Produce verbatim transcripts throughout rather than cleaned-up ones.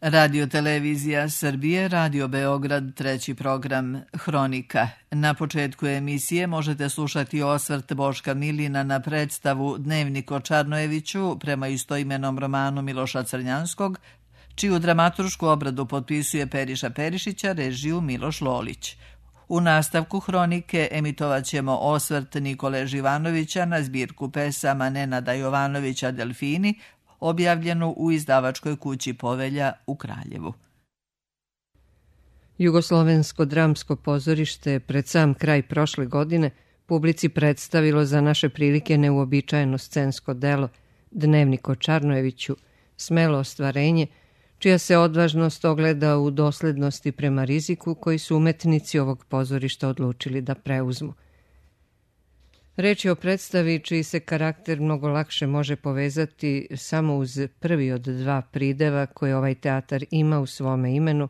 Radio Televizija Srbije, Radio Beograd, treći program Hronika. Na početku emisije možete slušati osvrt Boška Milina na predstavu Dnevnik o Čarnojeviću prema istoimenom romanu Miloša Crnjanskog, čiju dramaturšku obradu potpisuje Periša Perišića, režiju Miloš Lolić. U nastavku Hronike emitovat ćemo osvrt Nikole Živanovića na zbirku pesama Nenada Jovanovića Delfini, objavljenu u izdavačkoj kući Povelja u Kraljevu. Jugoslovensko dramsko pozorište pred sam kraj prošle godine publici predstavilo za naše prilike neuobičajeno scensko delo Dnevnik o Čarnojeviću, smelo ostvarenje, čija se odvažnost ogleda u doslednosti prema riziku koji su umetnici ovog pozorišta odlučili da preuzmu. Reč je o predstavi čiji se karakter mnogo lakše može povezati samo uz prvi od dva prideva koje ovaj teatar ima u svome imenu,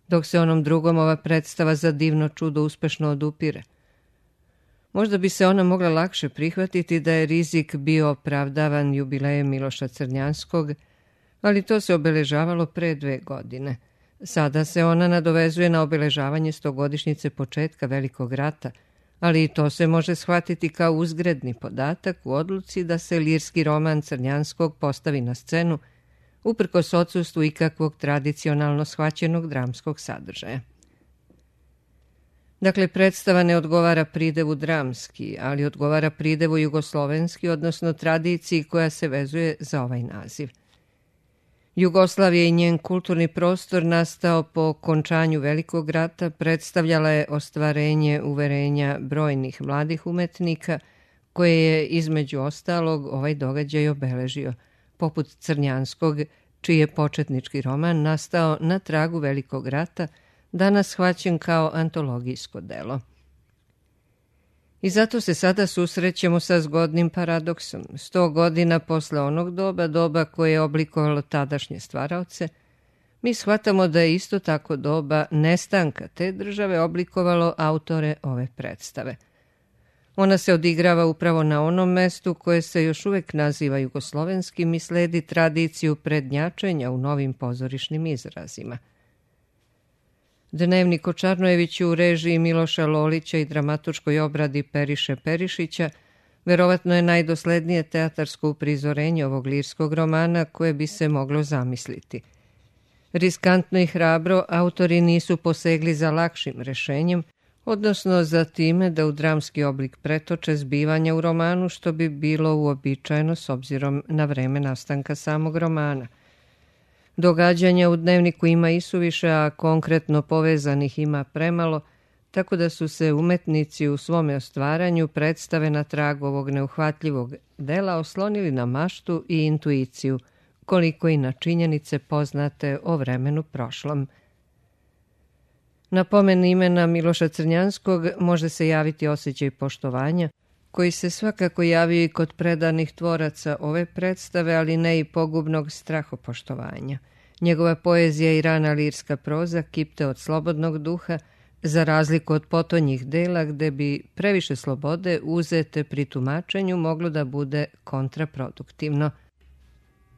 dok se onom drugom ova predstava za divno čudo uspešno odupire. Možda bi se ona mogla lakše prihvatiti da je rizik bio opravdavan jubilejem Miloša Crnjanskog, ali to se obeležavalo pre dve godine. Sada se ona nadovezuje na obeležavanje stogodišnjice početka Velikog rata, ali i to se može shvatiti kao uzgredni podatak u odluci da se lirski roman Crnjanskog postavi na scenu, uprkos odsustvu ikakvog tradicionalno shvaćenog dramskog sadržaja. Dakle, predstava ne odgovara pridevu dramski, ali odgovara pridevu jugoslovenski, odnosno tradiciji koja se vezuje za ovaj naziv. Jugoslavija i njen kulturni prostor nastao po okončanju Velikog rata predstavljala je ostvarenje uverenja brojnih mladih umetnika koje je između ostalog ovaj događaj obeležio, poput Crnjanskog, čiji je početnički roman nastao na tragu Velikog rata, danas shvaćen kao antologijsko delo. I zato se sada susrećemo sa zgodnim paradoksom. Sto godina posle onog doba, doba koje je oblikovalo tadašnje stvaraoce, mi shvatamo da je isto tako doba nestanka te države oblikovalo autore ove predstave. Ona se odigrava upravo na onom mestu koje se još uvek naziva jugoslovenskim i sledi tradiciju prednjačenja u novim pozorišnim izrazima. Dnevnik o Čarnojeviću u režiji Miloša Lolića i dramaturškoj obradi Periše Perišića verovatno je najdoslednije teatarsko uprizorenje ovog lirskog romana koje bi se moglo zamisliti. Riskantno i hrabro autori nisu posegli za lakšim rešenjem, odnosno za time da u dramski oblik pretoče zbivanja u romanu, što bi bilo uobičajeno s obzirom na vreme nastanka samog romana. Događanja u dnevniku ima isuviše, a konkretno povezanih ima premalo, tako da su se umetnici u svome ostvaranju predstave na tragu ovog neuhvatljivog dela oslonili na maštu i intuiciju, koliko i na činjenice poznate o vremenu prošlom. Na pomen imena Miloša Crnjanskog može se javiti osjećaj poštovanja, koji se svakako javio i kod predanih tvoraca ove predstave, ali ne i pogubnog strahopoštovanja. Njegova poezija i rana lirska proza kipte od slobodnog duha, za razliku od potonjih dela gde bi previše slobode uzete pri tumačenju moglo da bude kontraproduktivno.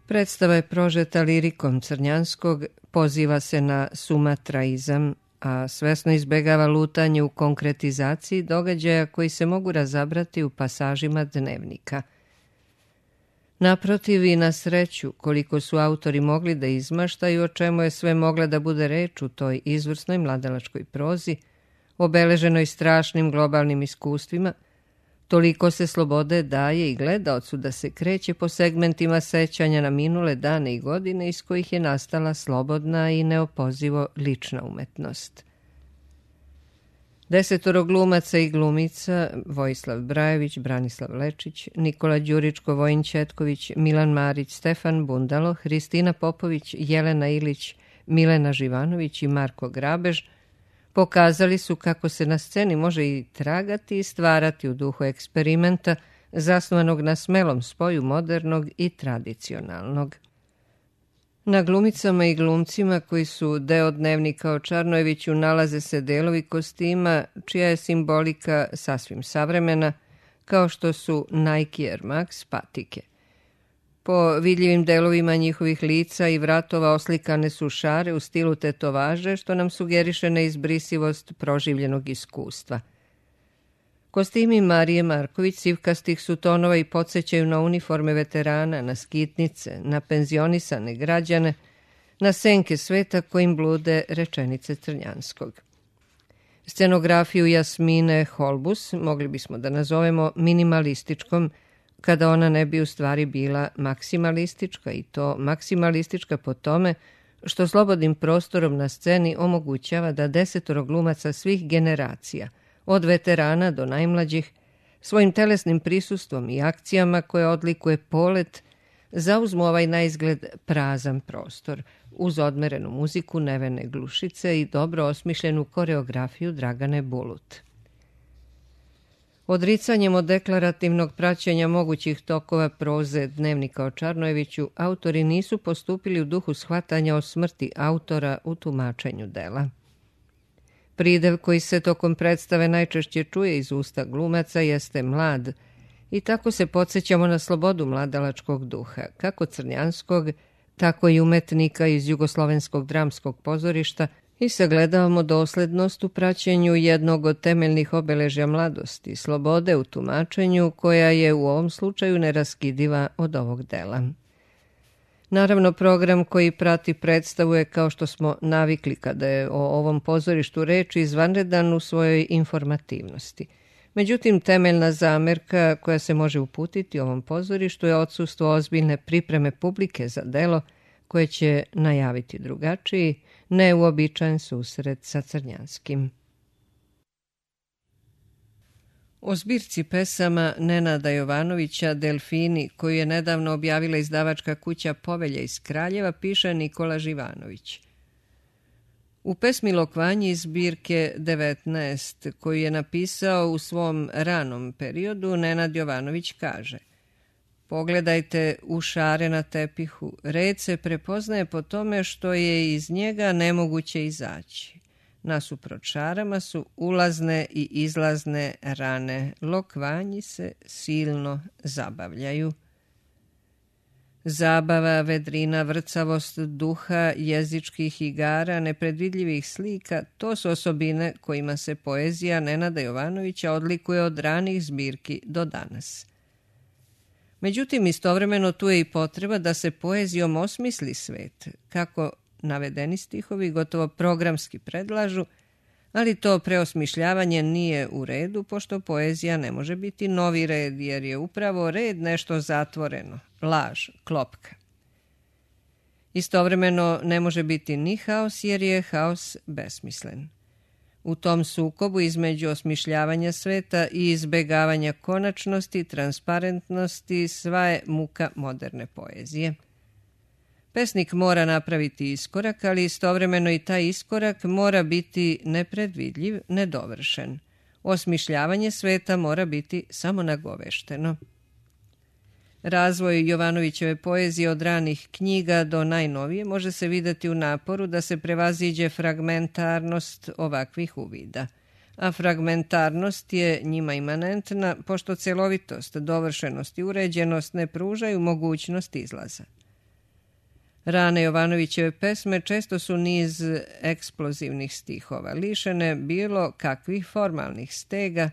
Predstava je prožeta lirikom Crnjanskog, poziva se na sumatraizam, a svesno izbegava lutanje u konkretizaciji događaja koji se mogu razabrati u pasažima dnevnika. Naprotiv i na sreću, koliko su autori mogli da izmaštaju o čemu je sve mogla da bude reč u toj izvrsnoj mladalačkoj prozi, obeleženoj strašnim globalnim iskustvima, toliko se slobode daje i gledaocu da se kreće po segmentima sećanja na minule dane i godine iz kojih je nastala slobodna i neopozivo lična umetnost. Desetoro glumaca i glumica, Vojislav Brajević, Branislav Lečić, Nikola Đuričko, Vojin Ćetković, Milan Marić, Stefan Bundalo, Hristina Popović, Jelena Ilić, Milena Živanović i Marko Grabež, pokazali su kako se na sceni može i tragati i stvarati u duhu eksperimenta zasnovanog na smelom spoju modernog i tradicionalnog. Na glumicama i glumcima koji su deo dnevnika o Čarnojeviću nalaze se delovi kostima čija je simbolika sasvim savremena, kao što su Nike Air Max patike. Po vidljivim delovima njihovih lica i vratova oslikane su šare u stilu tetovaže, što nam sugeriše neizbrisivost proživljenog iskustva. Kostimi Marije Marković sivkastih su tonova i podsjećaju na uniforme veterana, na skitnice, na penzionisane građane, na senke sveta kojim blude rečenice Crnjanskog. Scenografiju Jasmine Holbus mogli bismo da nazovemo minimalističkom, kada ona ne bi u stvari bila maksimalistička, i to maksimalistička po tome što slobodnim prostorom na sceni omogućava da desetoro glumaca svih generacija, od veterana do najmlađih, svojim telesnim prisustvom i akcijama koje odlikuje polet, zauzmu ovaj naizgled prazan prostor, uz odmerenu muziku Nevene Glušice i dobro osmišljenu koreografiju Dragane Bulut. Odricanjem od deklarativnog praćenja mogućih tokova proze Dnevnika o Čarnojeviću, autori nisu postupili u duhu shvatanja o smrti autora u tumačenju dela. Pridev koji se tokom predstave najčešće čuje iz usta glumaca jeste mlad, i tako se podsjećamo na slobodu mladalačkog duha, kako Crnjanskog, tako i umetnika iz Jugoslovenskog dramskog pozorišta, i sagledavamo doslednost u praćenju jednog od temeljnih obeležja mladosti, slobode u tumačenju, koja je u ovom slučaju neraskidiva od ovog dela. Naravno, program koji prati predstavu je, kao što smo navikli kada je o ovom pozorištu reč, izvanredan u svojoj informativnosti. Međutim, temeljna zamerka koja se može uputiti ovom pozorištu je odsustvo ozbiljne pripreme publike za delo koje će najaviti drugačiji, neuobičajen susret sa Crnjanskim. O zbirci pesama Nenada Jovanovića Delfini, koju je nedavno objavila izdavačka kuća Povelja iz Kraljeva, piše Nikola Živanović. U pesmi Lokvanji iz zbirke devetnaest, koju je napisao u svom ranom periodu, Nenad Jovanović kaže: pogledajte u šare na tepihu, red se prepoznaje po tome što je iz njega nemoguće izaći. Nasuprot šarama su ulazne i izlazne rane, lokvanji se silno zabavljaju. Zabava, vedrina, vrcavost duha, jezičkih igara, nepredvidljivih slika, to su osobine kojima se poezija Nenada Jovanovića odlikuje od ranih zbirki do danas. Međutim, istovremeno tu je i potreba da se poezijom osmisli svet, kako navedeni stihovi gotovo programski predlažu, ali to preosmišljavanje nije u redu, pošto poezija ne može biti novi red, jer je upravo red nešto zatvoreno, laž, klopka. Istovremeno ne može biti ni haos, jer je haos besmislen. U tom sukobu između osmišljavanja sveta i izbegavanja konačnosti, transparentnosti, sva je muka moderne poezije. Pesnik mora napraviti iskorak, ali istovremeno i taj iskorak mora biti nepredvidljiv, nedovršen. Osmišljavanje sveta mora biti samo nagovešteno. Razvoj Jovanovićeve poezije od ranih knjiga do najnovije može se vidjeti u naporu da se prevaziđe fragmentarnost ovakvih uvida. A fragmentarnost je njima imanentna, pošto celovitost, dovršenost i uređenost ne pružaju mogućnost izlaza. Rane Jovanovićeve pesme često su niz eksplozivnih stihova, lišene bilo kakvih formalnih stega,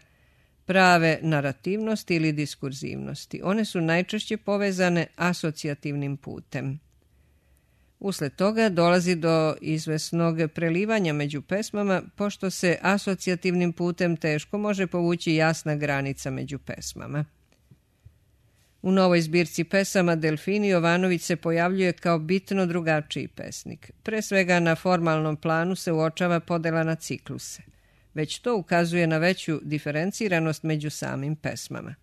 prave narativnosti ili diskurzivnosti. One su najčešće povezane asocijativnim putem. Usled toga dolazi do izvesnog prelivanja među pesmama, pošto se asocijativnim putem teško može povući jasna granica među pesmama. U novoj zbirci pesama Delfini Jovanović se pojavljuje kao bitno drugačiji pesnik. Pre svega na formalnom planu se uočava podela na cikluse. Već to ukazuje na veću diferenciranost među samim pesmama.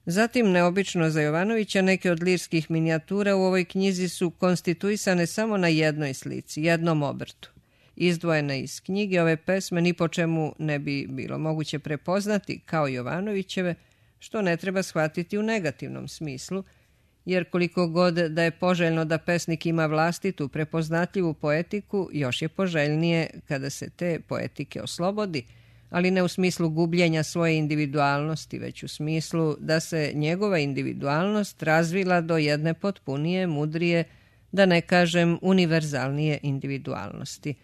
Zatim, neobično za Jovanovića, neke od lirskih minijatura u ovoj knjizi su konstituisane samo na jednoj slici, jednom obrtu. Izdvojene iz knjige, ove pesme ni po čemu ne bi bilo moguće prepoznati kao Jovanovićeve, što ne treba shvatiti u negativnom smislu, jer koliko god da je poželjno da pesnik ima vlastitu prepoznatljivu poetiku, još je poželjnije kada se te poetike oslobodi, ali ne u smislu gubljenja svoje individualnosti, već u smislu da se njegova individualnost razvila do jedne potpunije, mudrije, da ne kažem univerzalnije individualnosti.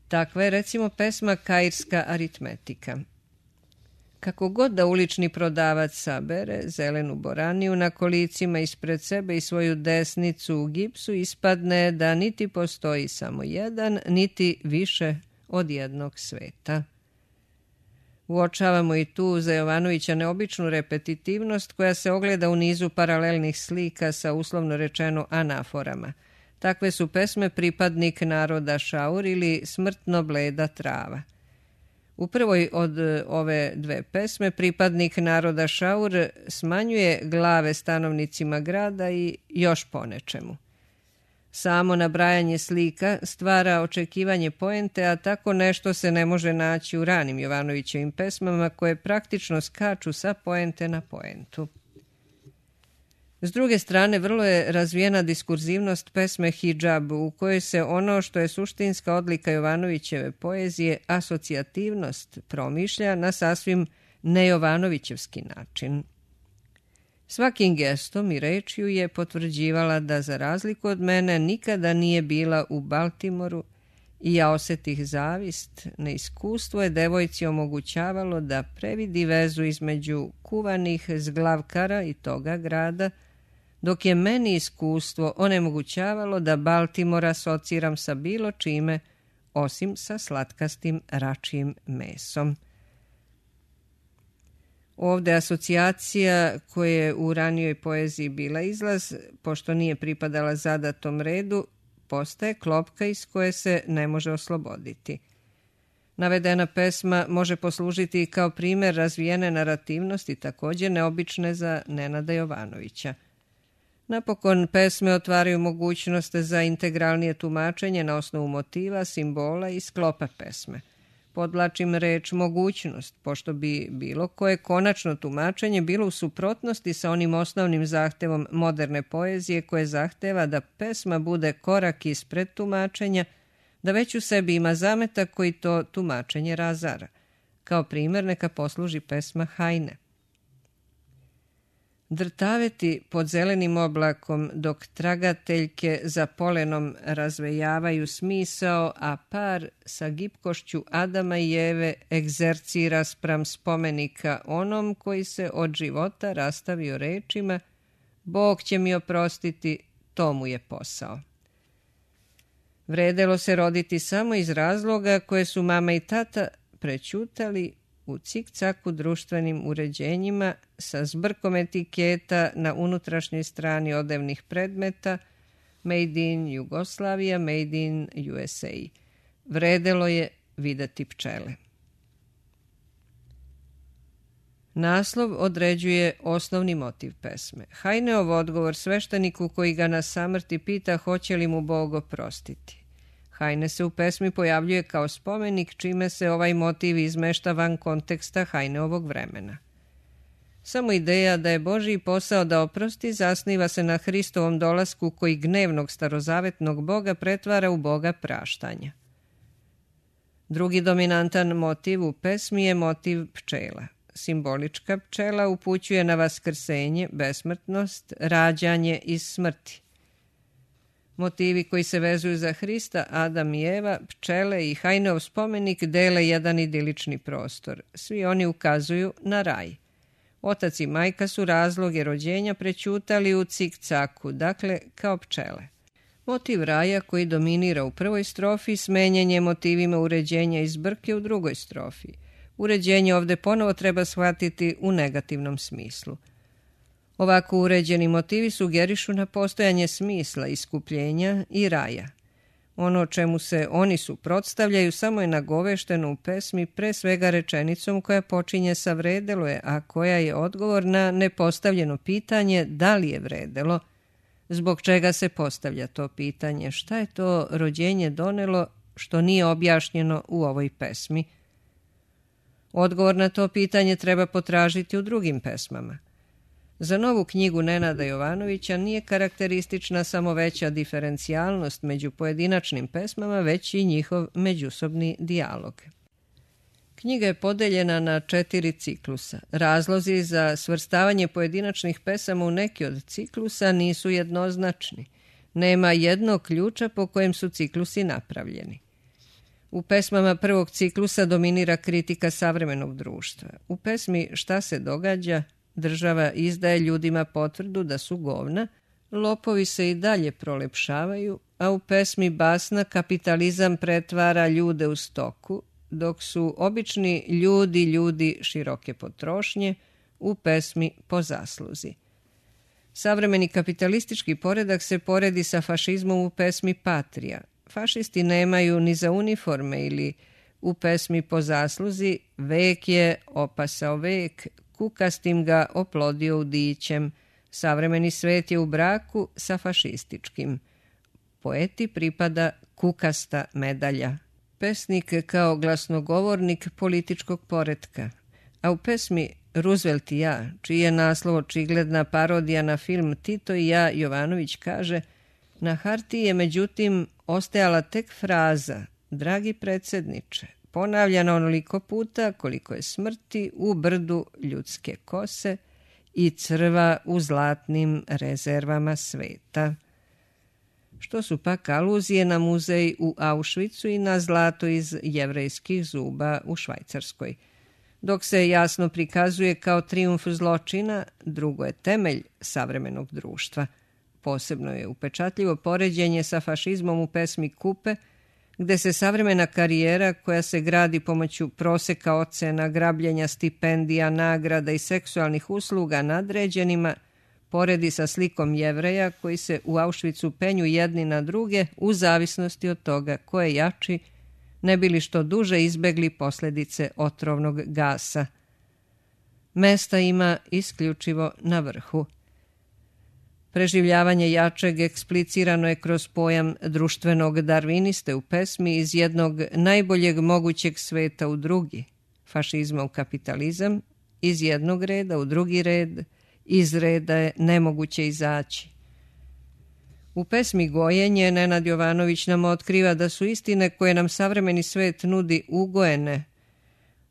Takva je recimo pesma Kairska aritmetika. Kako god da ulični prodavac sabere zelenu boraniju na kolicima ispred sebe i svoju desnicu u gipsu, ispadne da niti postoji samo jedan, niti više od jednog sveta. Uočavamo i tu za Jovanovića neobičnu repetitivnost koja se ogleda u nizu paralelnih slika sa uslovno rečeno anaforama. Takve su pesme Pripadnik naroda Šaur ili Smrtno bleda trava. U prvoj od ove dve pesme Pripadnik naroda Šaur smanjuje glave stanovnicima grada i još po nečemu. Samo nabrajanje slika stvara očekivanje poente, a tako nešto se ne može naći u ranim Jovanovićevim pesmama koje praktično skaču sa poente na poentu. S druge strane, vrlo je razvijena diskurzivnost pesme Hidžab, u kojoj se ono što je suštinska odlika Jovanovićeve poezije, asocijativnost, promišlja na sasvim nejovanovićevski način. Svakim gestom i rečju je potvrđivala da za razliku od mene nikada nije bila u Baltimoru i ja osetih zavist, neiskustvo je devojci omogućavalo da previdi vezu između kuvanih zglavkara i toga grada, dok je meni iskustvo onemogućavalo da Baltimora asociram sa bilo čime, osim sa slatkastim račijim mesom. Ovde asocijacija koja je u ranijoj poeziji bila izlaz, pošto nije pripadala zadatom redu, postaje klopka iz koje se ne može osloboditi. Navedena pesma može poslužiti kao primjer razvijene narativnosti, također neobične za Nenada Jovanovića. Napokon, pesme otvaraju mogućnost za integralnije tumačenje na osnovu motiva, simbola i sklopa pesme. Podlačim reč mogućnost, pošto bi bilo koje konačno tumačenje bilo u suprotnosti sa onim osnovnim zahtevom moderne poezije koje zahteva da pesma bude korak ispred tumačenja, da već u sebi ima zametak koji to tumačenje razara. Kao primjer neka posluži pesma Hajne. Drtaveti pod zelenim oblakom dok tragateljke za polenom razvejavaju smisao, a par sa gipkošću Adama i Eve egzercira spram spomenika onom koji se od života rastavio rečima Bog će mi oprostiti, to mu je posao. Vredelo se roditi samo iz razloga koje su mama i tata prećutali u cik-caku društvenim uređenjima sa zbrkom etiketa na unutrašnjoj strani odevnih predmeta Made in Jugoslavia, Made in U S A. Vredelo je videti pčele. Naslov određuje osnovni motiv pesme. Hajneov odgovor svešteniku koji ga na samrti pita hoće li mu Bog oprostiti. Hajne se u pesmi pojavljuje kao spomenik, čime se ovaj motiv izmešta van konteksta Hajneovog vremena. Samo ideja da je Božji posao da oprosti zasniva se na Hristovom dolasku koji gnevnog starozavetnog Boga pretvara u Boga praštanja. Drugi dominantan motiv u pesmi je motiv pčela. Simbolička pčela upućuje na vaskrsenje, besmrtnost, rađanje iz smrti. Motivi koji se vezuju za Hrista, Adam i Eva, pčele i Hajneov spomenik dele jedan idilični prostor. Svi oni ukazuju na raj. Otac i majka su razloge rođenja prećutali u cik-caku, dakle kao pčele. Motiv raja koji dominira u prvoj strofi smenjen je motivima uređenja iz brke u drugoj strofi. Uređenje ovde ponovo treba shvatiti u negativnom smislu. Ovako uređeni motivi sugerišu na postojanje smisla, iskupljenja i raja. Ono čemu se oni suprotstavljaju samo je nagovešteno u pesmi pre svega rečenicom koja počinje sa vredelo je, a koja je odgovor na nepostavljeno pitanje da li je vredelo, zbog čega se postavlja to pitanje, šta je to rođenje donelo što nije objašnjeno u ovoj pesmi. Odgovor na to pitanje treba potražiti u drugim pesmama. Za novu knjigu Nenada Jovanovića nije karakteristična samo veća diferencijalnost među pojedinačnim pesmama, već i njihov međusobni dijalog. Knjiga je podeljena na četiri ciklusa. Razlozi za svrstavanje pojedinačnih pesama u neki od ciklusa nisu jednoznačni. Nema jednog ključa po kojem su ciklusi napravljeni. U pesmama prvog ciklusa dominira kritika savremenog društva. U pesmi Šta se događa, država izdaje ljudima potvrdu da su govna, lopovi se i dalje prolepšavaju, a u pesmi Basna kapitalizam pretvara ljude u stoku, dok su obični ljudi ljudi široke potrošnje u pesmi Po zasluzi. Savremeni kapitalistički poredak se poredi sa fašizmom u pesmi Patrija. Fašisti nemaju ni za uniforme ili u pesmi Po zasluzi vek je opasao vek, kukastim ga oplodio udićem, savremeni svet je u braku sa fašističkim. Poeti pripada kukasta medalja. Pesnik kao glasnogovornik političkog poretka, a u pesmi Roosevelt i ja, čiji je naslov očigledna parodija na film Tito i ja, Jovanović kaže: na hartiji je međutim ostajala tek fraza dragi predsjedniče, ponavljana onoliko puta koliko je smrti u brdu ljudske kose i crva u zlatnim rezervama sveta. Što su pak aluzije na muzej u Auschwitzu i na zlato iz jevrejskih zuba u Švajcarskoj. Dok se jasno prikazuje kao trijumf zločina, drugo je temelj savremenog društva. Posebno je upečatljivo poređenje sa fašizmom u pesmi Kupe, gde se savremena karijera koja se gradi pomoću proseka ocena, grabljenja stipendija, nagrada i seksualnih usluga nadređenima poredi sa slikom Jevreja koji se u Auschwitzu penju jedni na druge u zavisnosti od toga ko je jači, ne bi li što duže izbegli posljedice otrovnog gasa. Mesta ima isključivo na vrhu. Preživljavanje jačeg eksplicirano je kroz pojam društvenog darviniste u pesmi iz jednog najboljeg mogućeg sveta u drugi, fašizma u kapitalizam, iz jednog reda u drugi red, iz reda je nemoguće izaći. U pesmi Gojenje Nenad Jovanović nam otkriva da su istine koje nam savremeni svet nudi ugojene.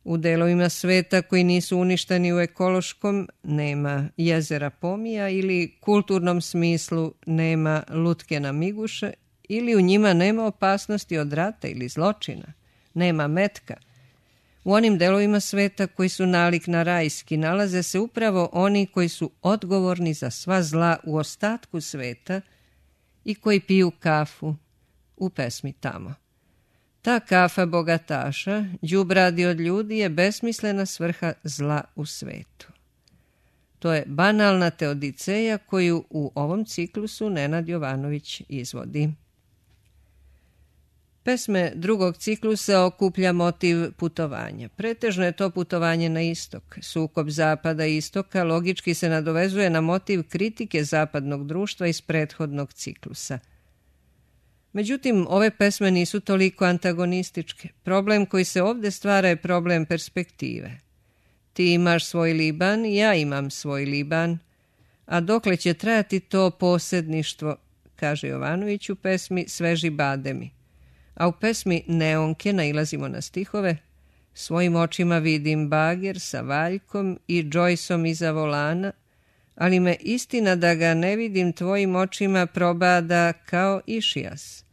U delovima sveta koji nisu uništeni u ekološkom nema jezera pomija ili kulturnom smislu nema lutke na miguše ili u njima nema opasnosti od rata ili zločina, nema metka. U onim delovima sveta koji su nalik na rajski nalaze se upravo oni koji su odgovorni za sva zla u ostatku sveta i koji piju kafu u pesmi Tamo. Ta kafa bogataša, đubradi od ljudi, je besmislena svrha zla u svetu. To je banalna teodiceja koju u ovom ciklusu Nenad Jovanović izvodi. Pesme drugog ciklusa okuplja motiv putovanja. Pretežno je to putovanje na istok. Sukob zapada i istoka logički se nadovezuje na motiv kritike zapadnog društva iz prethodnog ciklusa. Međutim, ove pesme nisu toliko antagonističke. Problem koji se ovdje stvara je problem perspektive. Ti imaš svoj Liban, ja imam svoj Liban, a dokle će trajati to posjedništvo, kaže Jovanović u pesmi Sveži bademi. A u pesmi Neonke nailazimo na stihove: svojim očima vidim bager sa valjkom i Joyceom iza volana, ali me istina da ga ne vidim tvojim očima probada kao išijas.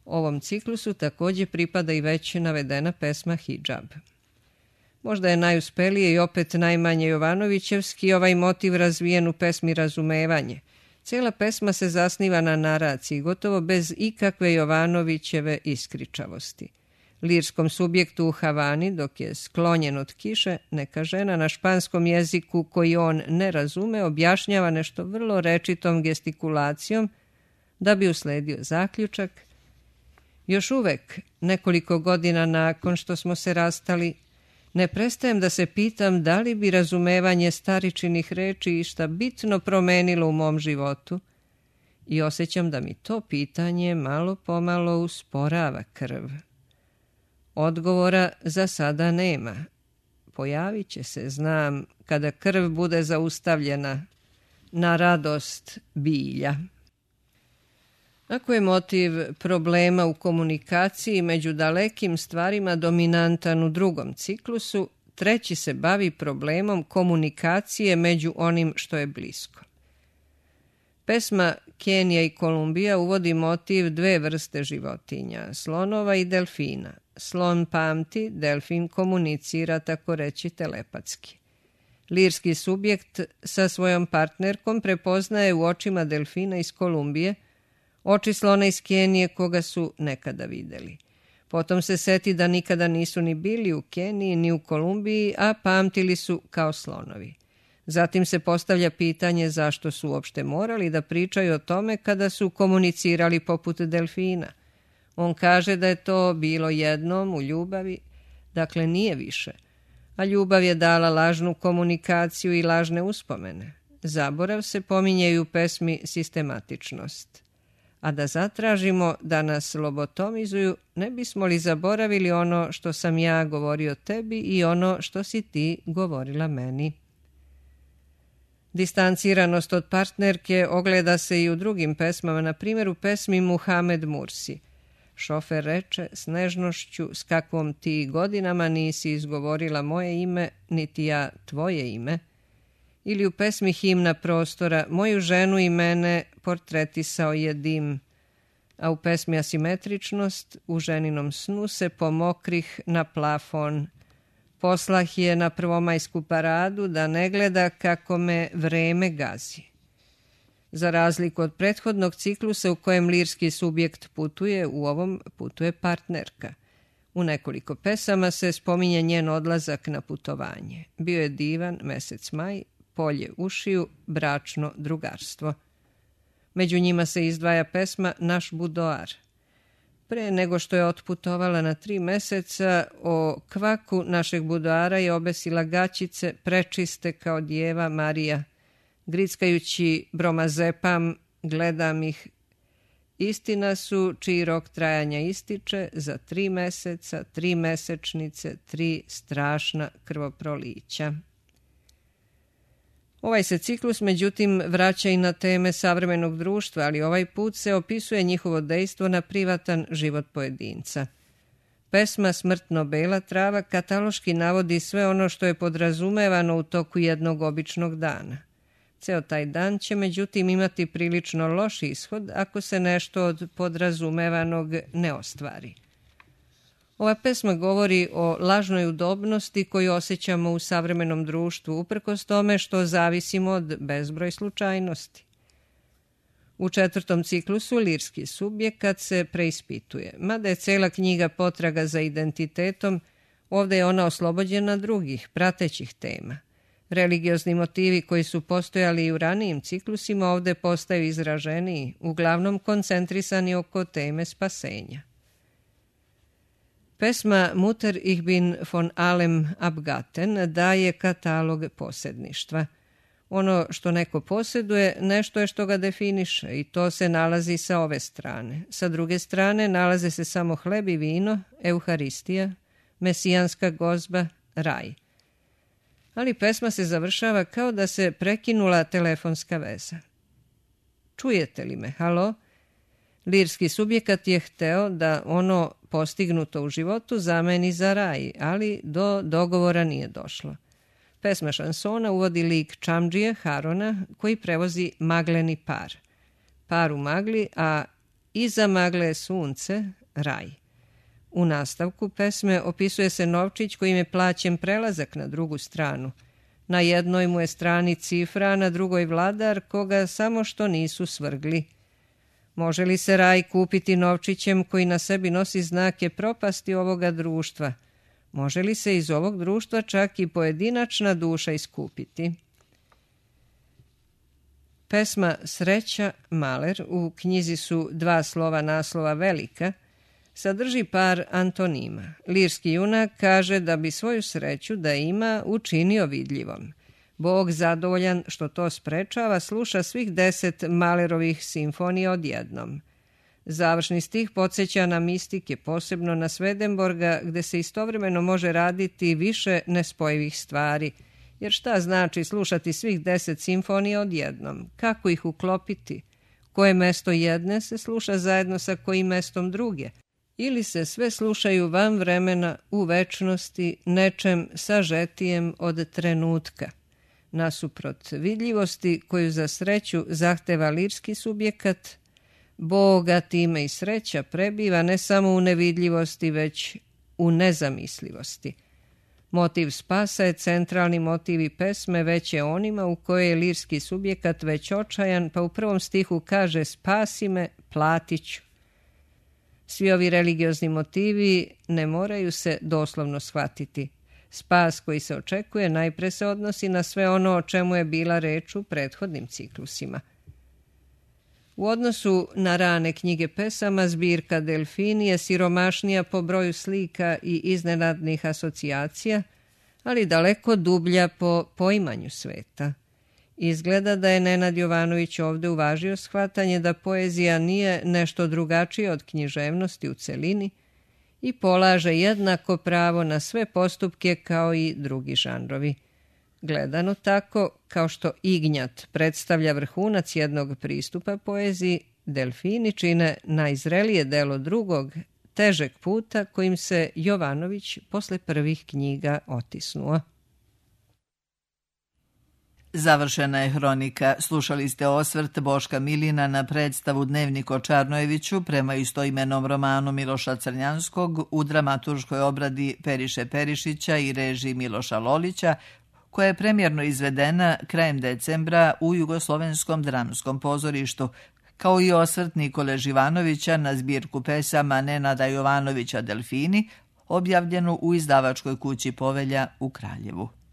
Ovom ciklusu također pripada i već navedena pesma Hidžab. Možda je najuspelije i opet najmanje Jovanovićevski ovaj motiv razvijen u pesmi Razumevanje. Cijela pesma se zasniva na naraciji, gotovo bez ikakve Jovanovićeve iskričavosti. Lirskom subjektu u Havani, dok je sklonjen od kiše, neka žena na španskom jeziku koji on ne razume objašnjava nešto vrlo rečitom gestikulacijom da bi usledio zaključak: još uvek, nekoliko godina nakon što smo se rastali, ne prestajem da se pitam da li bi razumevanje staričinih reči išta bitno promenilo u mom životu i osjećam da mi to pitanje malo pomalo usporava krv. Odgovora za sada nema. Pojavit će se, znam, kada krv bude zaustavljena, na radost bilja. Ako je motiv problema u komunikaciji među dalekim stvarima dominantan u drugom ciklusu, treći se bavi problemom komunikacije među onim što je blisko. Pesma Kenija i Kolumbija uvodi motiv dve vrste životinja, slonova i delfina. Slon pamti, delfin komunicira, tako reći, telepatski. Lirski subjekt sa svojom partnerkom prepoznaje u očima delfina iz Kolumbije oči slona iz Kenije koga su nekada videli. Potom se seti da nikada nisu ni bili u Keniji ni u Kolumbiji, a pamtili su kao slonovi. Zatim se postavlja pitanje zašto su uopšte morali da pričaju o tome kada su komunicirali poput delfina. On kaže da je to bilo jednom u ljubavi, dakle nije više. A ljubav je dala lažnu komunikaciju i lažne uspomene. Zaborav se pominje i u pesmi Sistematičnost. A da zatražimo da nas lobotomizuju, ne bismo li zaboravili ono što sam ja govorio tebi i ono što si ti govorila meni. Distanciranost od partnerke ogleda se i u drugim pesmama, na primjer u pesmi Muhamed Mursi. Šofer reče s nežnošću s kakvom ti godinama nisi izgovorila moje ime, niti ja tvoje ime. Ili u pesmi Himna prostora moju ženu i mene portretisao je dim, a u pesmi Asimetričnost u ženinom snu se pomokrih na plafon. Poslah je na prvomajsku paradu da ne gleda kako me vreme gazi. Za razliku od prethodnog ciklusa u kojem lirski subjekt putuje, u ovom putuje partnerka. U nekoliko pesama se spominje njen odlazak na putovanje. Bio je divan mesec maj, polje ušiju, bračno drugarstvo. Među njima se izdvaja pesma Naš budoar. Pre nego što je otputovala na tri meseca, o kvaku našeg budoara je obesila gaćice prečiste kao djeva Marija. Grickajući bromazepam, gledam ih. Istina su čiji rok trajanja ističe za tri meseca, tri mesečnice, tri strašna krvoprolića. Ovaj se ciklus, međutim, vraća i na teme savremenog društva, ali ovaj put se opisuje njihovo dejstvo na privatan život pojedinca. Pesma Smrtno bela trava kataloški navodi sve ono što je podrazumevano u toku jednog običnog dana. Ceo taj dan će, međutim, imati prilično loš ishod ako se nešto od podrazumevanog ne ostvari. Ova pesma govori o lažnoj udobnosti koju osjećamo u savremenom društvu, uprkos tome što zavisimo od bezbroj slučajnosti. U četvrtom ciklusu lirski subjekat se preispituje. Mada je cela knjiga potraga za identitetom, ovdje je ona oslobođena drugih, pratećih tema. Religiozni motivi koji su postojali i u ranijim ciklusima ovdje postaju izraženiji, uglavnom koncentrisani oko teme spasenja. Pesma Mutter ich bin von allem abgatten daje katalog posjedništva. Ono što neko posjeduje, nešto je što ga definiše i to se nalazi sa ove strane. Sa druge strane nalaze se samo hleb i vino, euharistija, mesijanska gozba, raj. Ali pesma se završava kao da se prekinula telefonska veza. Čujete li me, halo? Lirski subjekat je hteo da ono postignuto u životu zameni za raj, ali do dogovora nije došlo. Pesma šansona uvodi lik Čamdžije Harona koji prevozi magleni par. Par u magli, a iza magle je sunce, raj. U nastavku pesme opisuje se novčić kojim je plaćen prelazak na drugu stranu. Na jednoj mu je strani cifra, a na drugoj vladar koga samo što nisu svrgli. Može li se raj kupiti novčićem koji na sebi nosi znake propasti ovoga društva? Može li se iz ovog društva čak i pojedinačna duša iskupiti? Pesma Sreća Maler, u knjizi su dva slova naslova velika, sadrži par antonima. Lirski junak kaže da bi svoju sreću da ima učinio vidljivom. Bog zadovoljan što to sprečava sluša svih deset Malerovih simfonija odjednom. Završni stih podsjeća na mistike, posebno na Swedenborga, gde se istovremeno može raditi više nespojivih stvari. Jer šta znači slušati svih deset simfonija odjednom? Kako ih uklopiti? koje mesto jedne se sluša zajedno sa kojim mestom druge, ili se sve slušaju van vremena u večnosti nečem sažetijem od trenutka, nasuprot vidljivosti koju za sreću zahteva lirski subjekat. Boga time i sreća prebiva ne samo u nevidljivosti, već u nezamislivosti. Motiv spasa je centralni motiv i pesme, već je onima u kojoj je lirski subjekat već očajan, pa u prvom stihu kaže spasi me, platit ću. Svi ovi religiozni motivi ne moraju se doslovno shvatiti. Spas koji se očekuje najpre se odnosi na sve ono o čemu je bila reč u prethodnim ciklusima. U odnosu na rane knjige pesama, zbirka Delfini je siromašnija po broju slika i iznenadnih asocijacija, ali daleko dublja po poimanju sveta. Izgleda da je Nenad Jovanović ovde uvažio shvatanje da poezija nije nešto drugačije od književnosti u celini i polaže jednako pravo na sve postupke kao i drugi žanrovi. Gledano tako, kao što Ignjat predstavlja vrhunac jednog pristupa poeziji, Delfini čine najzrelije delo drugog, težeg puta kojim se Jovanović posle prvih knjiga otisnuo. Završena je hronika. Slušali ste osvrt Boška Milina na predstavu Dnevnik o Čarnojeviću prema istoimenom romanu Miloša Crnjanskog u dramaturškoj obradi Periše Perišića i režiji Miloša Lolića, koja je premjerno izvedena krajem decembra u Jugoslovenskom dramskom pozorištu, kao i osvrt Nikole Živanovića na zbirku pesama Nenada Jovanovića Delfini, objavljenu u izdavačkoj kući Povelja u Kraljevu.